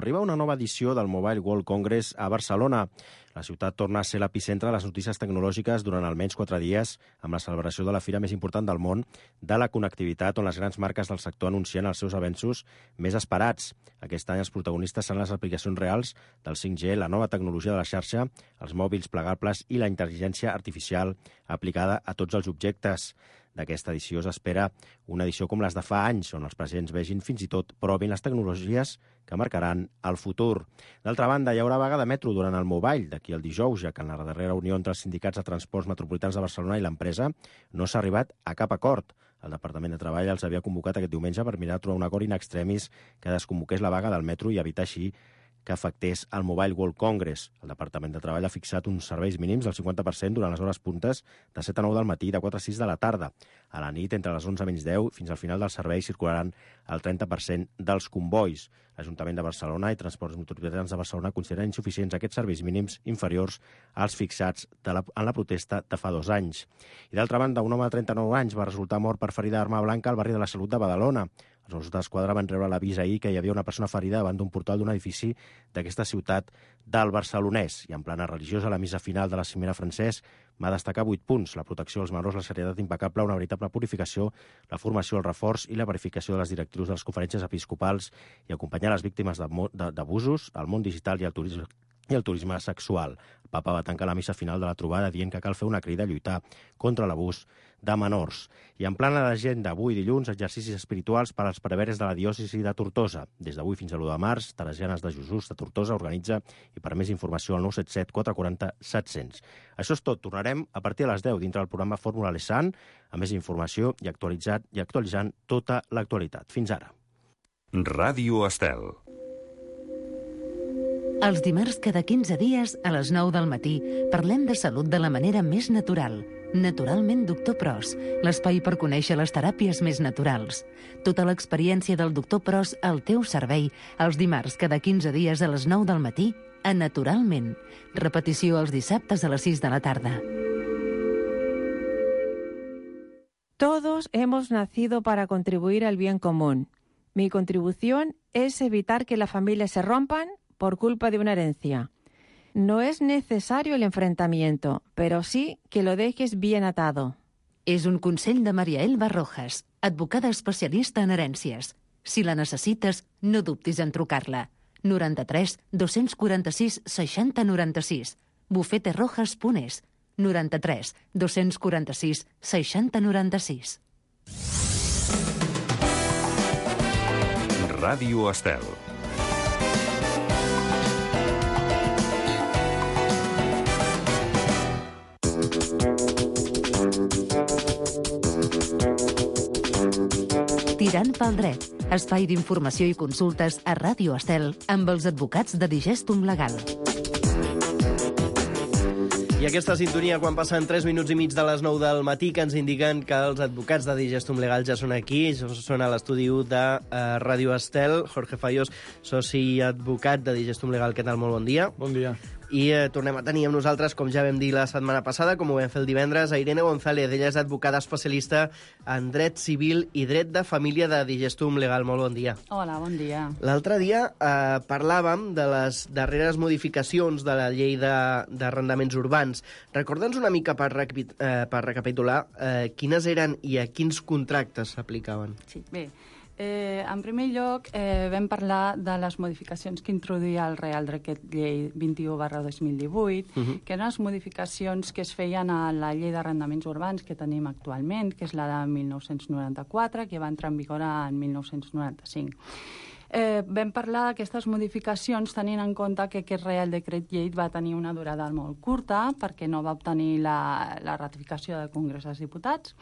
Arriba una nova edició del Mobile World Congress a Barcelona. La ciutat torna a ser l'epicentre de les notícies tecnològiques durant almenys 4 dies, amb la celebració de la fira més important del món de la connectivitat, on les grans marques del sector anuncien els seus avenços més esperats. Aquest any els protagonistes seran les aplicacions reals del 5G, la nova tecnologia de la xarxa, els mòbils plegables i la intel·ligència artificial aplicada a tots els objectes. D'aquesta edició s'espera una edició com les de fa anys, on els presents vegin fins i tot provin les tecnologies que marcaran el futur. D'altra banda, hi haurà vaga de metro durant el Mobile d'aquí el dijous, ja que en la darrera reunió entre els sindicats de transports metropolitans de Barcelona i l'empresa no s'ha arribat a cap acord. El Departament de Treball els havia convocat aquest diumenge per mirar de trobar un acord in extremis que desconvoqués la vaga del metro i evitar així que afectés el Mobile World Congress. El Departament de Treball ha fixat uns serveis mínims del 50% durant les hores puntes de 7 a 9 del matí i de 4 a 6 de la tarda. A la nit, entre les 11 menys 10 fins al final del servei, circularan el 30% dels convois. L'Ajuntament de Barcelona i Transports Metropolitans de Barcelona consideren insuficients aquests serveis mínims inferiors als fixats en la protesta de fa 2 anys. I d'altra banda, un home de 39 anys va resultar mort per ferida d'arma blanca al barri de la Salut de Badalona. Els Mossos d'Esquadra van rebre l'avís ahir que hi havia una persona ferida davant d'un portal d'un edifici d'aquesta ciutat del Barcelonès. I en plana religiosa, la missa final de la Cimera Francesc va destacar 8 punts: la protecció dels menors, la serietat impecable, una veritable purificació, la formació, el reforç i la verificació de les directrius de les conferències episcopals i acompanyar les víctimes d'abusos, el món digital i el turisme sexual. El papa va tancar la missa final de la trobada dient que cal fer una crida a lluitar contra l'abús de menors. I en plana d'agenda, avui dilluns, exercicis espirituals per als preveres de la diòcesi de Tortosa. Des d'avui fins a l'1 de març, Teresianes de Jesús de Tortosa organitza, i per més informació al 977 440 700. Això és tot. Tornarem a partir de les 10 dintre del programa Fórmula Lesan, amb més informació i actualitzant tota l'actualitat. Fins ara. Ràdio Estel. Els dimarts cada 15 dies, a les 9 del matí, parlem de salut de la manera més natural. Naturalment Doctor Pros, l'espai per conèixer les teràpies més naturals. Tota l'experiència del Doctor Pros al teu servei, els dimarts cada 15 dies a les 9 del matí, a Naturalment. Repetició els dissabtes a les 6 de la tarda. Todos hemos nacido para contribuir al bien común. Mi contribución es evitar que las familias se rompan por culpa de una herencia. No es necesario el enfrentamiento, pero sí que lo dejes bien atado. És un consell de Maria Elba Rojas, advocada especialista en herències. Si la necessites, no dubtis en trucar-la. 93 246 60 96. bufeterojas.es. 93 246 60 96. Ràdio Estel. Tirant pel dret, espai d'informació i consultes a Ràdio Estel amb els advocats de Digestum Legal. I aquesta sintonia quan passen 3 minuts i mig de les 9 del matí que ens indiquen que els advocats de Digestum Legal ja són aquí, ja són a l'estudi de Ràdio Estel. Jorge Fayos, soci advocat de Digestum Legal, què tal? Molt bon dia. Bon dia. I tornem a tenir amb nosaltres, com ja vam dir la setmana passada, com ho vam fer el divendres, a Irene González. Ella és advocada especialista en dret civil i dret de família de Digestum Legal. Molt bon dia. Hola, bon dia. L'altre dia parlàvem de les darreres modificacions de la llei d'arrendaments urbans. Recorda'ns una mica per recapitular quines eren i a quins contractes s'aplicaven. Sí, bé. En primer lloc, vam parlar de les modificacions que introduïa el Real Decret Llei 21/2018, que eren les modificacions que es feien a la llei d'arrendaments urbans que tenim actualment, que és la de 1994, que va entrar en vigor en 1995. Vam parlar d'aquestes modificacions tenint en compte que aquest Real Decret Llei va tenir una durada molt curta perquè no va obtenir la ratificació del Congrés dels Diputats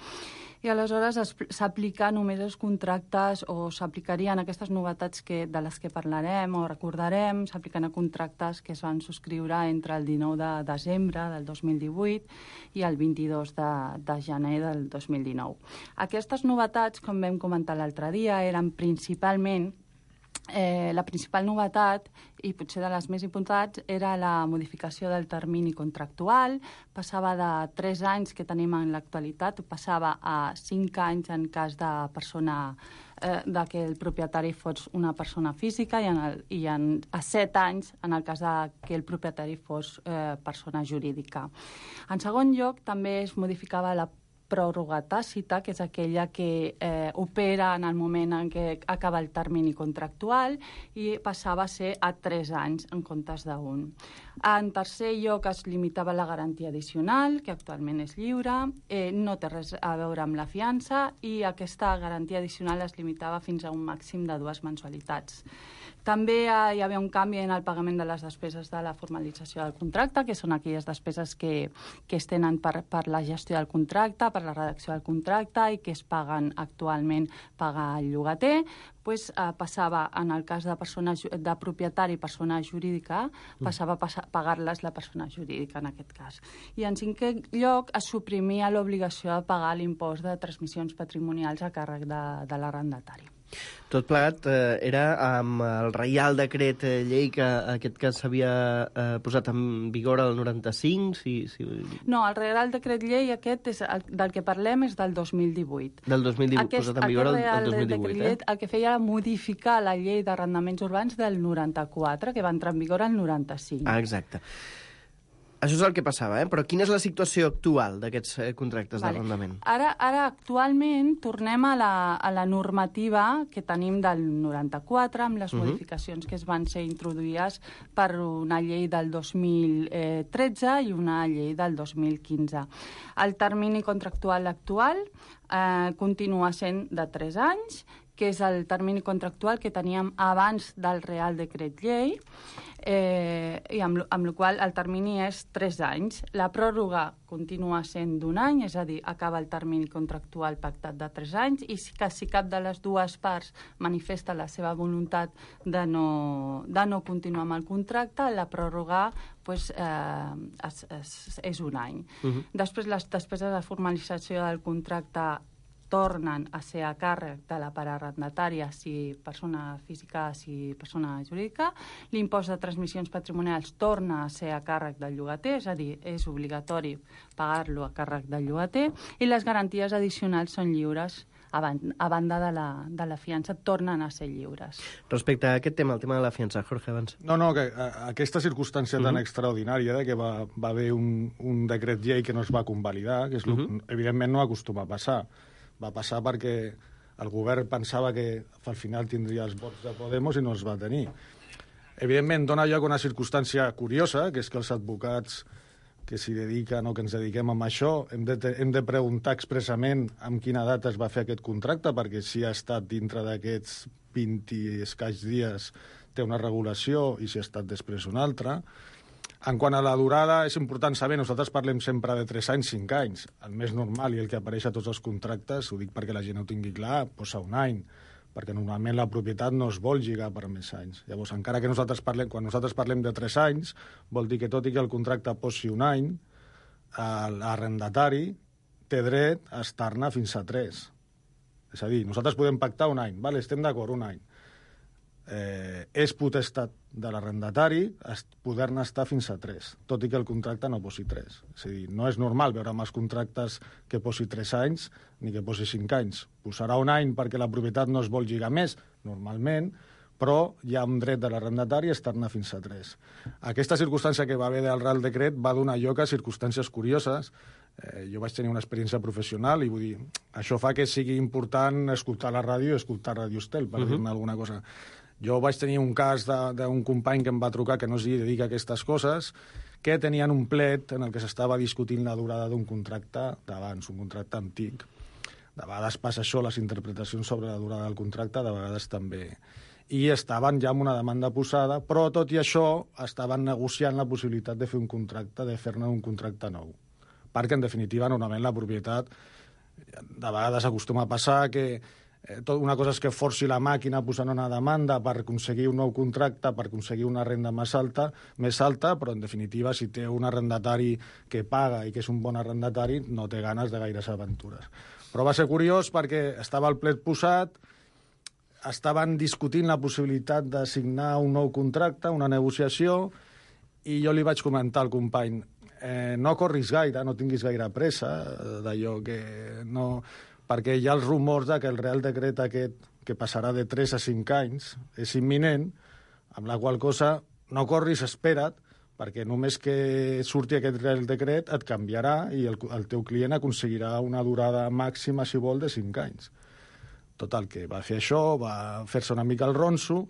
i aleshores s'aplica només als contractes o s'aplicarien aquestes novetats de les que parlarem o recordarem, s'apliquen a contractes que es van subscriure entre el 19 de desembre del 2018 i el 22 de gener del 2019. Aquestes novetats, com vam comentar l'altre dia, eren principalment la principal novetat, i potser de les més importants, era la modificació del termini contractual. Passava de 3 anys que tenim en l'actualitat, passava a 5 anys en cas de persona de que el propietari fos una persona física i a 7 anys en el cas de que el propietari fos persona jurídica. En segon lloc, també es modificava la pròrroga tàcita, que és aquella que opera en el moment en què acaba el termini contractual i passava a ser a 3 anys en comptes d'1. En tercer lloc es limitava la garantia addicional, que actualment és lliure, no té res a veure amb la fiança i aquesta garantia addicional es limitava fins a un màxim de 2 mensualitats. També hi havia un canvi en el pagament de les despeses de la formalització del contracte, que són aquelles despeses que es tenen per la gestió del contracte, per la redacció del contracte i que es paguen actualment pagar el llogater. Passava, en el cas de propietari i persona jurídica, passava a pagar-les la persona jurídica en aquest cas. I en cinquè lloc es suprimia l'obligació de pagar l'impost de transmissions patrimonials a càrrec de l'arrendatari. Tot plegat era amb el Reial Decret Llei que aquest cas s'havia posat en vigor el 95? No, el Reial Decret Llei aquest del que parlem és del 2018. Del 2018, posat en vigor el 2018, el que feia era modificar la llei d'arrendaments urbans del 94, que va entrar en vigor el 95. Ah, exacte. Això és el que passava, però quina és la situació actual d'aquests contractes d'arrendament? Ara, actualment, tornem a la normativa que tenim del 94, amb les modificacions que es van ser introduïdes per una llei del 2013 i una llei del 2015. El termini contractual actual continua sent de 3 anys, que és el termini contractual que teníem abans del Real Decret Llei, i amb la qual el termini és 3 anys. La pròrroga continua sent d'1 any, és a dir, acaba el termini contractual pactat de 3 anys, i si cap de les dues parts manifesta la seva voluntat de no continuar amb el contracte, la pròrroga és 1 any. Després, les despeses de formalització del contracte tornen a ser a càrrec de la part arrendatària, si persona física, si persona jurídica. L'impost de transmissions patrimonials torna a ser a càrrec del llogater, és a dir, és obligatori pagar-lo a càrrec del llogater, i les garanties addicionals són lliures. A banda de la fiança, tornen a ser lliures. Respecte a aquest tema, el tema de la fiança, Jorge, abans. No, que aquesta circumstància tan extraordinària que va haver un decret llei que no es va convalidar, que evidentment no acostuma a passar. Va passar perquè el govern pensava que al final tindria els vots de Podemos i no els va tenir. Evidentment, dona lloc a una circumstància curiosa, que és que els advocats que s'hi dediquen o que ens dediquem a això hem de preguntar expressament en quina data es va fer aquest contracte, perquè si ha estat dintre d'aquests 20 i escaig dies té una regulació i si ha estat després una altra. En quant a la durada, és important saber, nosaltres parlem sempre de 3 anys, 5 anys. El més normal i el que apareix a tots els contractes, ho dic perquè la gent ho tingui clar, posa 1 any, perquè normalment la propietat no es vol lligar per més anys. Llavors, encara que quan nosaltres parlem de 3 anys, vol dir que tot i que el contracte posi 1 any, l'arrendatari té dret a estar-ne fins a 3. És a dir, nosaltres podem pactar 1 any, vale, estem d'acord, 1 any. És potestat de l'arrendatari poder-ne estar fins a 3, tot i que el contracte no posi 3. És a dir, no és normal veure amb els contractes que posi 3 anys ni que posi 5 anys. Posarà 1 any perquè la propietat no es vol lligar més, normalment, però hi ha un dret de l'arrendatari a estar-ne fins a 3. Aquesta circumstància que va haver del Real Decret va donar lloc a circumstàncies curioses. Jo vaig tenir una experiència professional i vull dir, això fa que sigui important escoltar la ràdio i escoltar Radio Estel, per dir-ne alguna cosa. Jo vaig tenir un cas d'un company que em va trucar que no s'hi dedica a aquestes coses, que tenien un plet en el que s'estava discutint la durada d'un contracte d'abans, un contracte antic. De vegades passa això, les interpretacions sobre la durada del contracte, de vegades també. I estaven ja amb una demanda posada, però tot i això estaven negociant la possibilitat de fer un contracte, de fer-ne un contracte nou. Perquè, en definitiva, normalment la propietat, de vegades acostuma a passar que una cosa és que forci la màquina posant una demanda per aconseguir un nou contracte, per aconseguir una renda més alta, però en definitiva, si té un arrendatari que paga i que és un bon arrendatari, no té ganes de gaires aventures. Però va ser curiós perquè estava el plet posat, estaven discutint la possibilitat de signar un nou contracte, una negociació, i jo li vaig comentar al company, no corris gaire, no tinguis gaire pressa d'allò que no... perquè hi ha els rumors que el Real Decret aquest que passarà de 3 a 5 anys, és imminent, amb la qual cosa no corris, espera't, perquè només que surti aquest Real Decret et canviarà i el teu client aconseguirà una durada màxima, si vol, de 5 anys. Total, que va fer això, va fer-se una mica el ronso,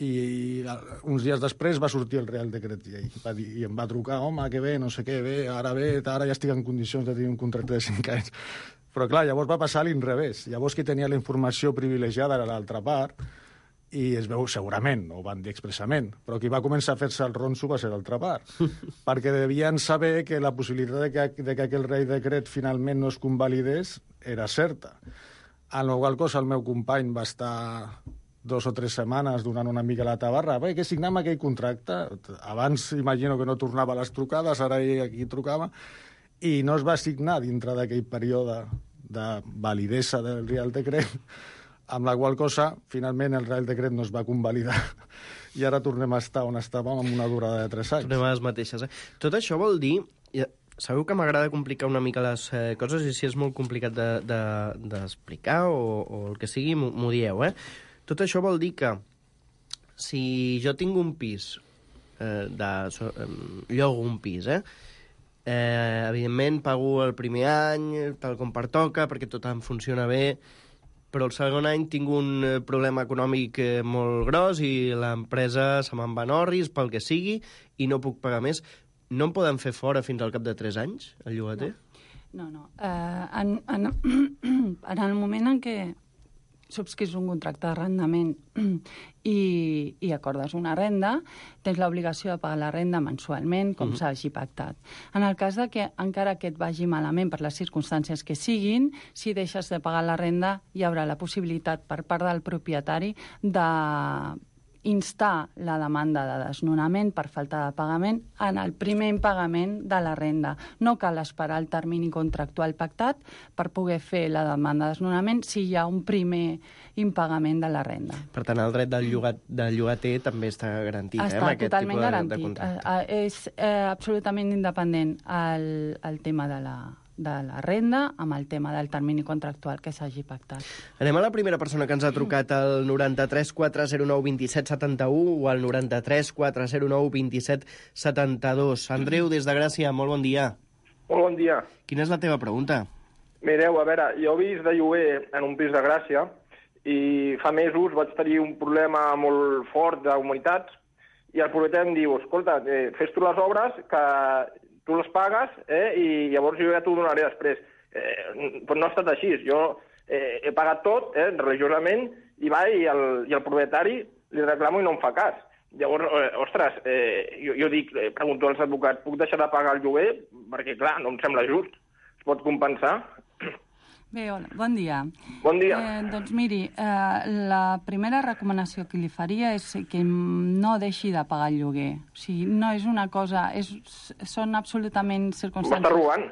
i uns dies després va sortir el Real Decret llei. I em va trucar, home, que bé, no sé què, bé, ara ja estic en condicions de tenir un contracte de 5 anys. Però clar, llavors va passar a l'inrevés. Llavors qui tenia la informació privilegiada era l'altra part, i es veu segurament, no ho van dir expressament, però qui va començar a fer-se el ronso va ser l'altra part, perquè devien saber que la possibilitat de que aquell Real Decret finalment no es convalidés era certa. A la qual cosa el meu company va estar 2 o 3 setmanes donant una mica la tabarra. Bé, que signem aquell contracte. Abans imagino que no tornava a les trucades, ara ell aquí trucava, i no es va signar dintre d'aquell període de validesa del Real Decret, amb la qual cosa, finalment, el Real Decret no es va convalidar i ara tornem a estar on estàvem amb una durada de 3 anys. Tornem a les mateixes. Tot això vol dir... Sabeu que m'agrada complicar una mica les coses i si és molt complicat d'explicar o el que sigui, m'ho dieu, Tot això vol dir que si jo tinc un pis, llogo un pis, evidentment pago el primer any, tal com pertoca, perquè tot em funciona bé, però el segon any tinc un problema econòmic molt gros i l'empresa se me'n va en orris, pel que sigui, i no puc pagar més. No em poden fer fora fins al cap de 3 anys, el llogater? No. En el moment en què subscrius un contracte d'arrendament i acordes una renda, tens l'obligació de pagar la renda mensualment, com s'hagi pactat. En el cas de que, encara que et vagi malament per les circumstàncies que siguin, si deixes de pagar la renda, hi haurà la possibilitat per part del propietari de instar la demanda de desnonament per falta de pagament en el primer impagament de la renda. No cal esperar el termini contractual pactat per poder fer la demanda de desnonament si hi ha un primer impagament de la renda. Per tant, el dret del llogater també està garantit, està amb aquest totalment tipus de garantit. contracte. És absolutament independent el tema de la renda amb el tema del termini contractual que s'hagi pactat. Anem a la primera persona que ens ha trucat al 93 409 27 71 o al 93 409 27 72. Andreu, des de Gràcia, molt bon dia. Molt bon dia. Quina és la teva pregunta? Mireu, a veure, jo he vist de lloguer en un pis de Gràcia i fa mesos vaig tenir un problema molt fort d'humanitats i el propietari em diu, escolta, fes tu les obres que tu les pagues i llavors jo ja t'ho donaré després. Però no ha estat així. Jo he pagat tot religiosament i el propietari li reclamo i no em fa cas. Llavors, ostres, jo dic, pregunto als advocats, puc deixar de pagar el lloguer? Perquè, clar, no em sembla just. Es pot compensar? Bé, hola, bon dia. Bon dia. Doncs miri, la primera recomanació que li faria és que no deixi de pagar el lloguer. O sigui, no és una cosa... Són absolutament circumstàncies... M'està robant.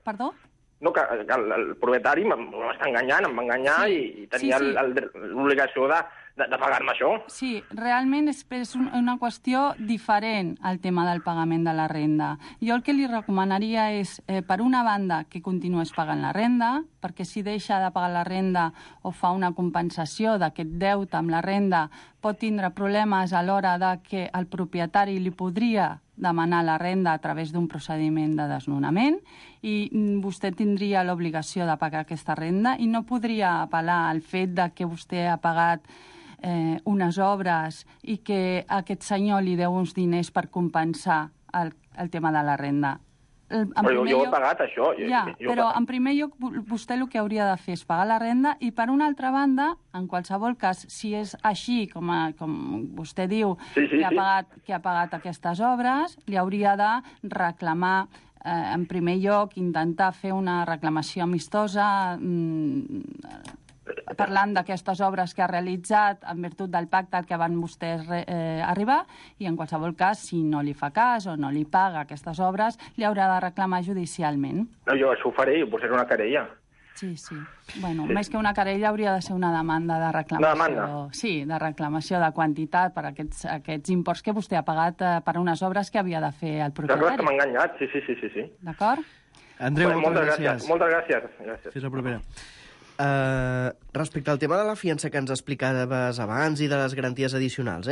Perdó? No, que el propietari m'està enganyant, em va enganyar i tenia l'obligació de pagar-me això. Sí, realment és una qüestió diferent al tema del pagament de la renda. Jo el que li recomanaria és, per una banda, que continués pagant la renda, perquè si deixa de pagar la renda o fa una compensació d'aquest deute amb la renda, pot tindre problemes a l'hora de que el propietari li podria demanar la renda a través d'un procediment de desnonament i vostè tindria l'obligació de pagar aquesta renda i no podria apel·lar al fet de que vostè ha pagat unes obres i que aquest senyor li deu uns diners per compensar el tema de la renda. Però jo he pagat això. Però en primer lloc vostè el que hauria de fer és pagar la renda i per una altra banda, en qualsevol cas, si és així, com vostè diu, que ha pagat aquestes obres, li hauria de reclamar en primer lloc, intentar fer una reclamació amistosa parlant d'aquestes obres que ha realitzat en virtut del pacte al que van vostès arribar i en qualsevol cas, si no li fa cas o no li paga aquestes obres, li haurà de reclamar judicialment. No, jo això ho faré, jo posaré una querella. Sí. Bueno, més que una querella hauria de ser una demanda de reclamació. Una demanda? Sí, de reclamació de quantitat per aquests imports que vostè ha pagat per unes obres que havia de fer el propietari. D'acord, que m'ha enganyat, sí. D'acord? Andreu, moltes gràcies. Moltes gràcies. Fins la propera. Respecte al tema de la fiança que ens explicaves abans i de les garanties addicionals,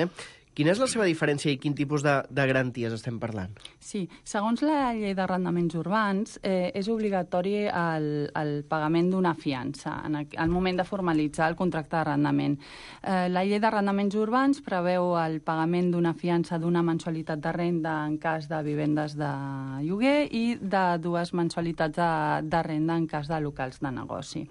quina és la seva diferència i quin tipus de garanties estem parlant? Sí, segons la llei d'arrendaments urbans, és obligatori el pagament d'una fiança al moment de formalitzar el contracte d'arrendament. La llei d'arrendaments urbans preveu el pagament d'una fiança d'una mensualitat de renda en cas de vivendes de lloguer i de 2 mensualitats de renda en cas de locals de negoci.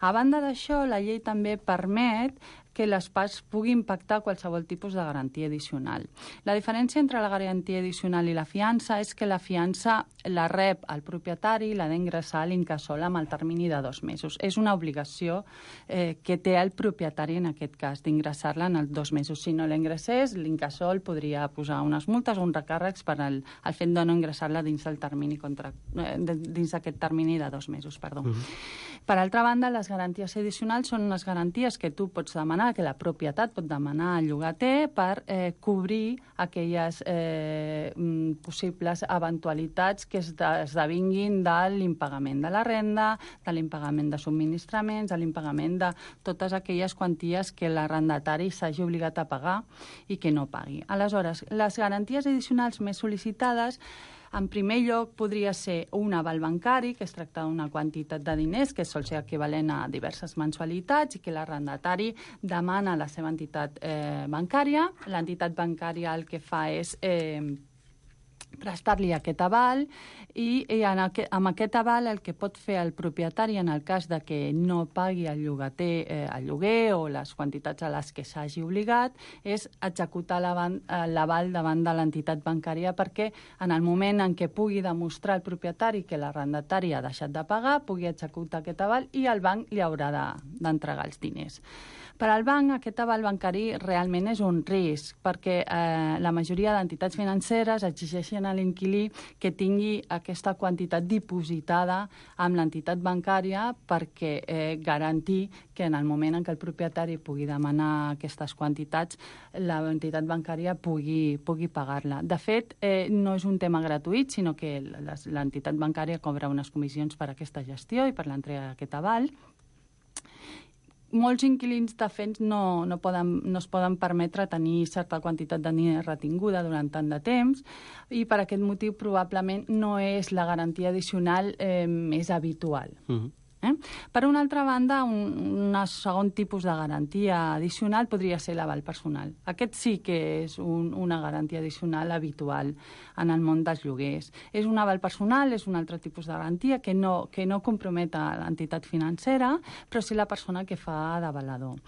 A banda d'això, la llei també permet que les parts puguin pactar qualsevol tipus de garantia addicional. La diferència entre la garantia addicional i la fiança és que la fiança la rep el propietari i l'ha d'ingressar a l'incasòl amb el termini de 2 mesos. És una obligació que té el propietari en aquest cas, d'ingressar-la en els 2 mesos. Si no l'ingressés, l'incasòl podria posar unes multes o uns recàrrecs per al fet de no ingressar-la dins del termini dins d'aquest termini de 2 mesos. Per altra banda, les garanties addicionals són unes garanties que tu pots demanar, que la propietat pot demanar al llogater per cobrir aquelles possibles eventualitats que esdevinguin de l'impagament de la renda, de l'impagament de subministraments, de l'impagament de totes aquelles quanties que l'arrendatari s'hagi obligat a pagar i que no pagui. Aleshores, les garanties addicionals més sol·licitades en primer lloc podria ser un aval bancari, que es tracta d'una quantitat de diners que sol ser equivalent a diverses mensualitats i que l'arrendatari demana a la seva entitat bancària. L'entitat bancària el que fa és prestar-li aquest aval i amb aquest aval el que pot fer el propietari en el cas de que no pagui el llogater el lloguer o les quantitats a les que s'hagi obligat és executar l'aval davant de l'entitat bancària perquè en el moment en què pugui demostrar el propietari que l'arrendatari ha deixat de pagar pugui executar aquest aval i el banc li haurà d'entregar els diners. Per al banc, aquest aval bancari realment és un risc, perquè la majoria d'entitats financeres exigeixen a l'inquilí que tingui aquesta quantitat dipositada amb l'entitat bancària perquè garantir que en el moment en què el propietari pugui demanar aquestes quantitats, l'entitat bancària pugui pagar-la. De fet, no és un tema gratuït, sinó que l'entitat bancària cobra unes comissions per aquesta gestió i per l'entrega d'aquest aval. Molts inquilins, de fet, no es poden permetre tenir certa quantitat de diners retinguda durant tant de temps i per aquest motiu probablement no és la garantia addicional més habitual. Per una altra banda, un segon tipus de garantia addicional podria ser l'aval personal. Aquest sí que és una garantia addicional habitual en el món dels lloguers. És un aval personal, és un altre tipus de garantia que no compromet a l'entitat financera, però sí la persona que fa d'avalador.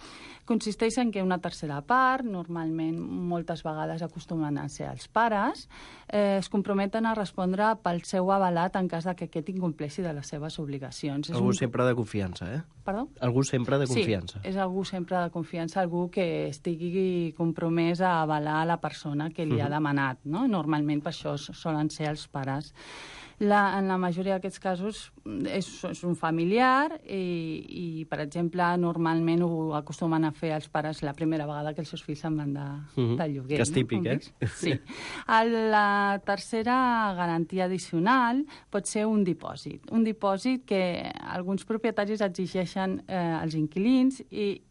Consisteix en que una tercera part, normalment moltes vegades acostumen a ser els pares, es comprometen a respondre pel seu avalat en cas que aquest incompleixi de les seves obligacions. Algú sempre de confiança, Perdó? Algú sempre de confiança. Sí, és algú sempre de confiança, algú que estigui compromès a avalar la persona que li ha demanat, no? Normalment per això solen ser els pares. En la majoria d'aquests casos és un familiar i, per exemple, normalment ho acostumen a fer els pares la primera vegada que els seus fills se'n van de lloguer. Que és típic, Sí. La tercera garantia addicional pot ser un dipòsit. Un dipòsit que alguns propietaris exigeixen als inquilins i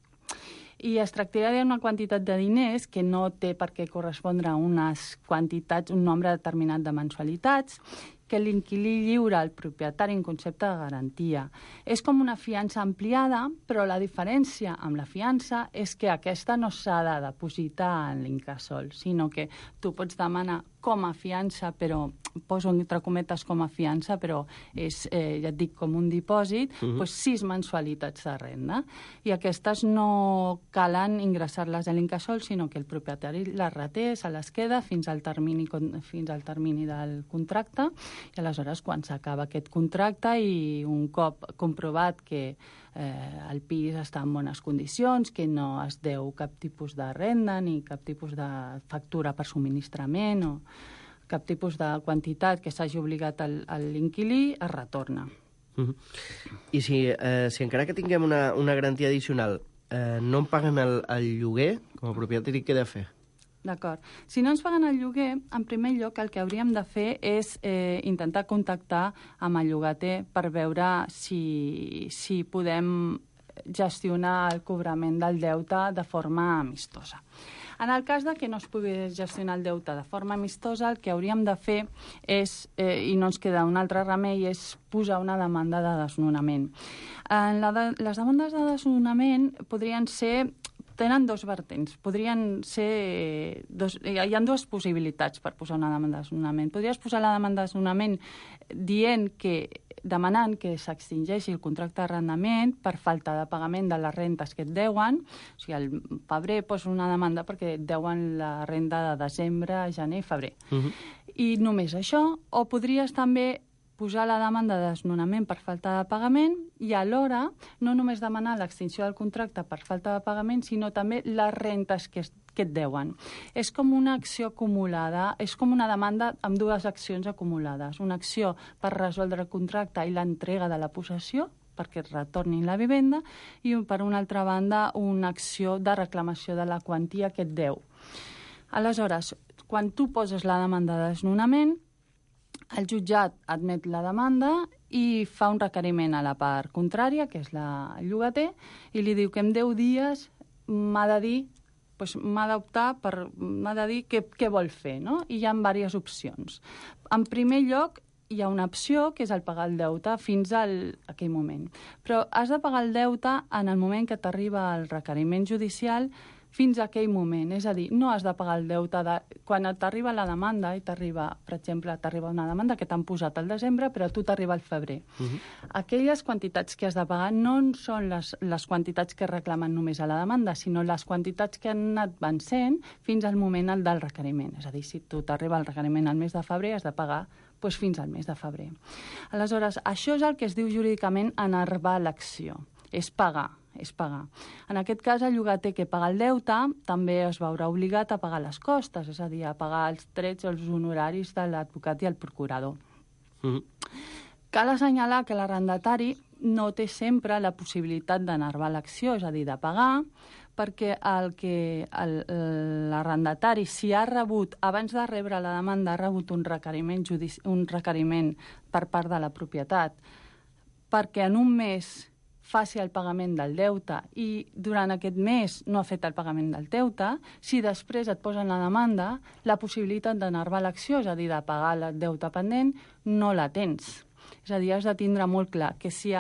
es tractaria d'una quantitat de diners que no té per què correspondre a unes quantitats, un nombre determinat de mensualitats, que l'inquilí lliura al propietari en concepte de garantia. És com una fiança ampliada, però la diferència amb la fiança és que aquesta no s'ha de depositar en l'incasòl, sinó que tu pots demanar com a fiança, però poso entre cometes com a fiança, però és, ja et dic, com un dipòsit, 6 mensualitats de renda. I aquestes no calen ingressar-les a l'incasòl, sinó que el propietari les reté, se les queda fins al termini del contracte, i aleshores quan s'acaba aquest contracte i un cop comprovat que el pis està en bones condicions, que no es deu cap tipus de renda ni cap tipus de factura per subministrament o cap tipus de quantitat que s'hagi obligat a l'inquilí, es retorna. I si encara que tinguem una garantia addicional no em paguen el lloguer, com a propietari, què he de fer? D'acord. Si no ens paguen el lloguer, en primer lloc el que hauríem de fer és intentar contactar amb el llogater per veure si podem gestionar el cobrament del deute de forma amistosa. En el cas de que no es pogués gestionar el deute de forma amistosa, el que hauríem de fer és, i no ens queda un altre remei, és posar una demanda de desnonament. Les demandes de desnonament tenen dos vertents. Podrien ser hi ha dues possibilitats per posar una demanda de desnonament. Podries posar la demanda de desnonament demanant que s'extingeixi el contracte d'arrendament per falta de pagament de les rentes que et deuen. O sigui, al febrer posa una demanda perquè et deuen la renda de desembre, gener i febrer. I només això. O podries també posar la demanda de desnonament per falta de pagament i alhora no només demanar l'extinció del contracte per falta de pagament, sinó també les rentes que et deuen. És com una acció acumulada, és com una demanda amb dues accions acumulades. Una acció per resoldre el contracte i l'entrega de la possessió, perquè et retornin la vivenda, i per una altra banda una acció de reclamació de la quantia que et deu. Aleshores, quan tu poses la demanda de desnonament, el jutjat admet la demanda i fa un requeriment a la part contrària, que és la llogater, i li diu que en 10 dies m'ha de dir què vol fer, no? I hi ha diverses opcions. En primer lloc, hi ha una opció, que és el pagar el deute fins a aquell moment. Però has de pagar el deute en el moment que t'arriba el requeriment judicial fins a aquell moment. És a dir, no has de pagar el deute quan t'arriba la demanda, i t'arriba, per exemple, una demanda que t'han posat al desembre, però a tu t'arriba al febrer. Aquelles quantitats que has de pagar no són les quantitats que reclamen només a la demanda, sinó les quantitats que han anat vencent fins al moment del requeriment. És a dir, si tu t'arriba el requeriment al mes de febrer, has de pagar fins al mes de febrer. Aleshores, això és el que es diu jurídicament enervar l'acció. És pagar. En aquest cas, el llogater que paga el deute també es veurà obligat a pagar les costes, és a dir, a pagar els trets o els honoraris de l'advocat i el procurador. Cal assenyalar que l'arrendatari no té sempre la possibilitat d'enervar l'acció, és a dir, de pagar, perquè l'arrendatari, si ha rebut, abans de rebre la demanda, ha rebut un requeriment per part de la propietat, perquè en un mes faci el pagament del deute i durant aquest mes no ha fet el pagament del deute, si després et posen la demanda, la possibilitat d'enervar l'acció, és a dir, de pagar el deute pendent, no la tens. És a dir, has de tindre molt clar que si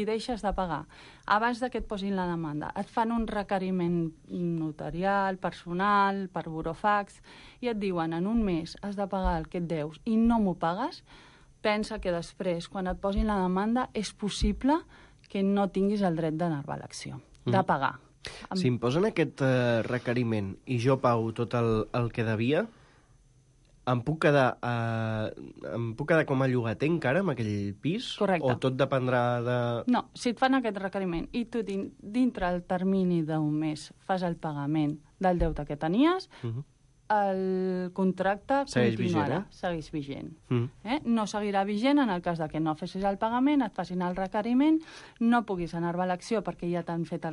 deixes de pagar, abans que et posin la demanda, et fan un requeriment notarial, personal, per burofax, i et diuen en un mes has de pagar el que et deus i no m'ho pagues, pensa que després, quan et posin la demanda, és possible que no tinguis el dret d'enervar l'acció, de pagar. Si em posen aquest requeriment i jo pago tot el que devia, em puc quedar com a llogater encara amb aquell pis? Correcte. O tot dependrà de... No, si et fan aquest requeriment i tu dintre el termini d'un mes fas el pagament del deute que tenies, el contracte continuarà, segueix vigent. No seguirà vigent en el cas de que no fessis el pagament, et facin el requeriment, no puguis enervar l'acció perquè ja t'han fet el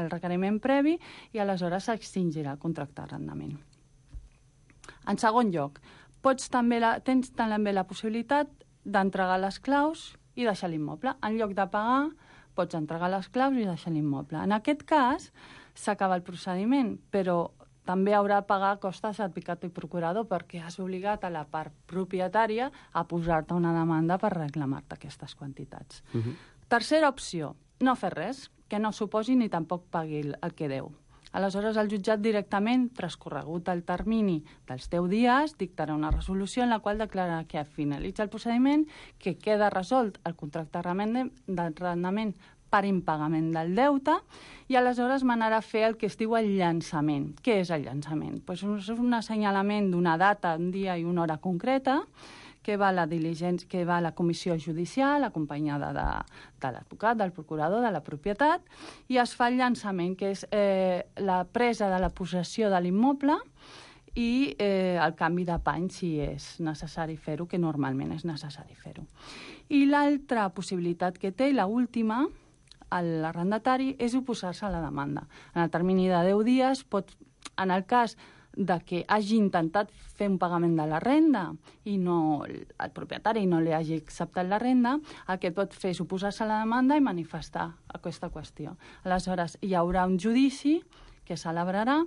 requeriment previ i aleshores s'extingirà el contracte d'arrendament. En segon lloc, tens també la possibilitat d'entregar les claus i deixar l'immoble. En lloc de pagar, pots entregar les claus i deixar l'immoble. En aquest cas, s'acaba el procediment, però també haurà de pagar costes advocat i procurador perquè has obligat a la part propietària a posar-te una demanda per reclamar-te aquestes quantitats. Tercera opció, no fer res, que no suposi ni tampoc pagui el que deu. Aleshores, el jutjat directament, transcorregut el termini dels 10 dies, dictarà una resolució en la qual declararà que finalitza el procediment, que queda resolt el contracte d'arrendament per impagament del deute i aleshores manarà a fer el que es diu el llançament. Què és el llançament? És un assenyalament d'una data, un dia i una hora concreta que va a la comissió judicial acompanyada de l'advocat, del procurador, de la propietat i es fa el llançament, que és la presa de la possessió de l'immoble i el canvi de pany si és necessari fer-ho, que normalment és necessari fer-ho. I l'altra possibilitat que té, i l'última, l'arrendatari, és oposar-se a la demanda. En el termini de 10 dies, en el cas de que hagi intentat fer un pagament de la renda i el propietari no li hagi acceptat la renda, el que pot fer és oposar-se a la demanda i manifestar aquesta qüestió. Aleshores, hi haurà un judici que es celebrarà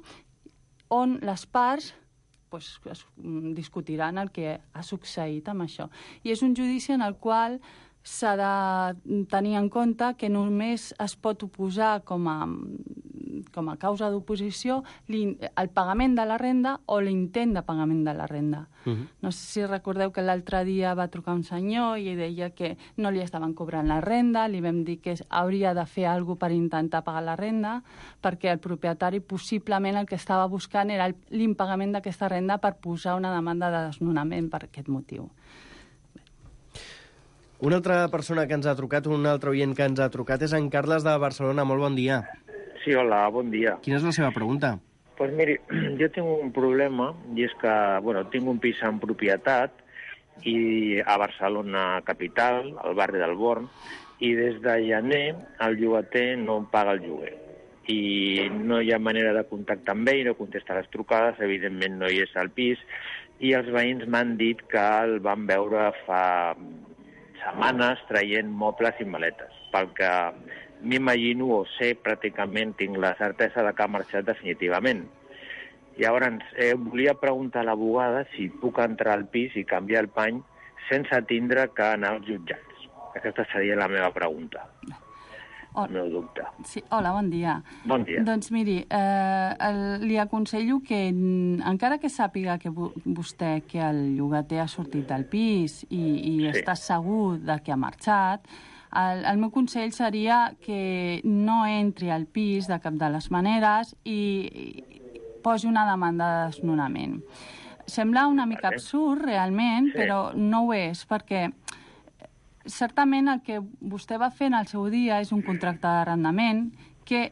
on les parts es discutiran el que ha succeït amb això. I és un judici en el qual s'ha de tenir en compte que només es pot oposar com a causa d'oposició el pagament de la renda o l'intent de pagament de la renda. No sé si recordeu que l'altre dia va trucar un senyor i deia que no li estaven cobrant la renda, li vam dir que hauria de fer alguna cosa per intentar pagar la renda, perquè el propietari possiblement el que estava buscant era l'impagament d'aquesta renda per posar una demanda de desnonament per aquest motiu. Una altra persona que ens ha trucat, un altre oient que ens ha trucat, és en Carles de Barcelona. Molt bon dia. Sí, hola, bon dia. Quina és la seva pregunta? Pues miri, jo tinc un problema, i és que, tinc un pis en propietat i a Barcelona capital, al barri del Born, i des de gener el llogater no paga el lloguer. I no hi ha manera de contactar amb ell, no contesta les trucades, evidentment no hi és al pis, i els veïns m'han dit que el van veure fa setmanes traient mobles i maletes, pel que m'imagino o sé, pràcticament tinc la certesa de que ha marxat definitivament. Llavors, volia preguntar a l'abogada si puc entrar al pis i canviar el pany sense tindre que anar als jutjats. Aquesta seria la meva pregunta. El meu dubte. Sí, hola, bon dia. Bon dia. Doncs miri, li aconsello que, encara que sàpiga que vostè que el llogater ha sortit del pis i està segur de que ha marxat, el meu consell seria que no entri al pis de cap de les maneres i posi una demanda de desnonament. Sembla una mica absurd, realment, però no ho és, perquè certament el que vostè va fer en el seu dia és un contracte d'arrendament que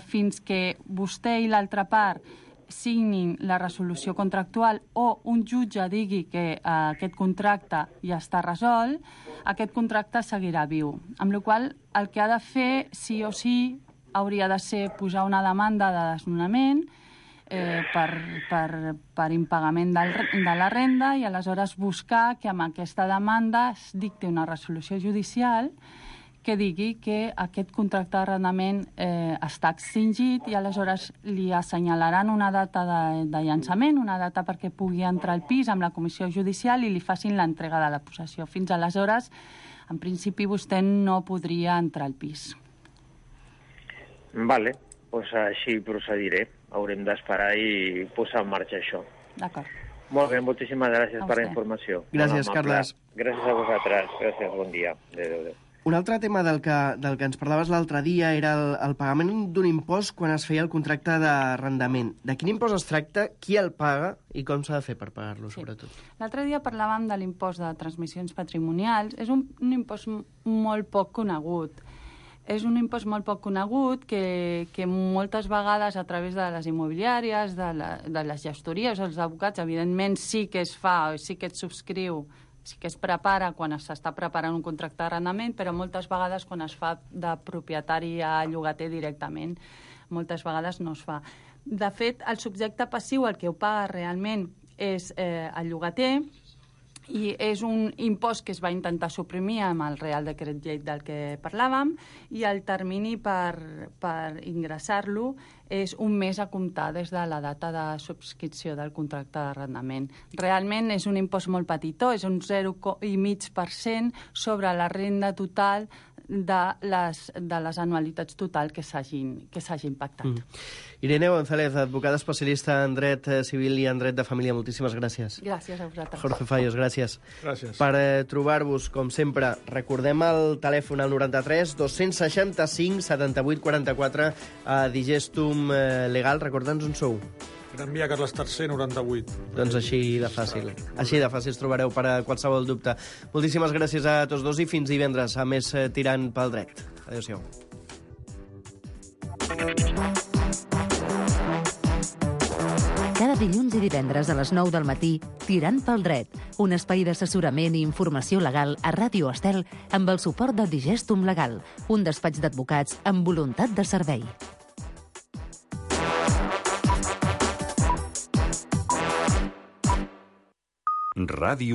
fins que vostè i l'altra part signin la resolució contractual o un jutge digui que aquest contracte ja està resolt, aquest contracte seguirà viu. Amb la qual cosa, el que ha de fer, sí o sí, hauria de ser posar una demanda de desnonament per impagament de la renda i aleshores buscar que amb aquesta demanda es dicti una resolució judicial que digui que aquest contracte d'arrendament està extingit i aleshores li assenyalaran una data de llançament, una data perquè pugui entrar al pis amb la comissió judicial i li facin l'entrega de la possessió. Fins aleshores, en principi, vostè no podria entrar al pis. Vale, doncs així procediré. Haurem d'esperar i posar en marxa això. D'acord. Molt bé, moltíssimes gràcies per la informació. Gràcies, Carles. Gràcies a vosaltres. Gràcies, bon dia. Adéu. Un altre tema del que ens parlaves l'altre dia era el pagament d'un impost quan es feia el contracte d'arrendament. De quin impost es tracta, qui el paga i com s'ha de fer per pagar-lo, sobretot? L'altre dia parlàvem de l'impost de transmissions patrimonials. És un impost molt poc conegut. És un impost molt poc conegut que moltes vegades a través de les immobiliàries, de les gestories, els advocats, evidentment sí que es fa, sí que es subscriu, sí que es prepara quan s'està preparant un contracte d'arrendament, però moltes vegades quan es fa de propietari a llogater directament, moltes vegades no es fa. De fet, el subjecte passiu, el que ho paga realment és el llogater, i és un impost que es va intentar suprimir amb el Real Decret Llei del que parlàvem i el termini per ingressar-lo és un mes a comptar des de la data de subscripció del contracte d'arrendament. Realment és un impost molt petitó, és un 0,5% sobre la renda total de les anualitats total que s'hagin pactat. Irene González, advocada especialista en dret civil i en dret de família, moltíssimes gràcies. Gràcies a vosaltres. Jorge Fallos, gràcies. Gràcies. Per trobar-vos, com sempre, recordem el telèfon al 93 265 78 44 a Digestum Legal. Recorda'ns on sou. Gran Via Carles III, 98. Doncs així de fàcil. Així de fàcil trobareu per a qualsevol dubte. Moltíssimes gràcies a tots dos i fins divendres a més Tirant pel Dret. Adéu-siau. Cada dilluns i divendres a les 9 del matí, Tirant pel Dret, un espai d'assessorament i informació legal a Ràdio Estel amb el suport de Digestum Legal, un despatx d'advocats amb voluntat de servei. Ràdio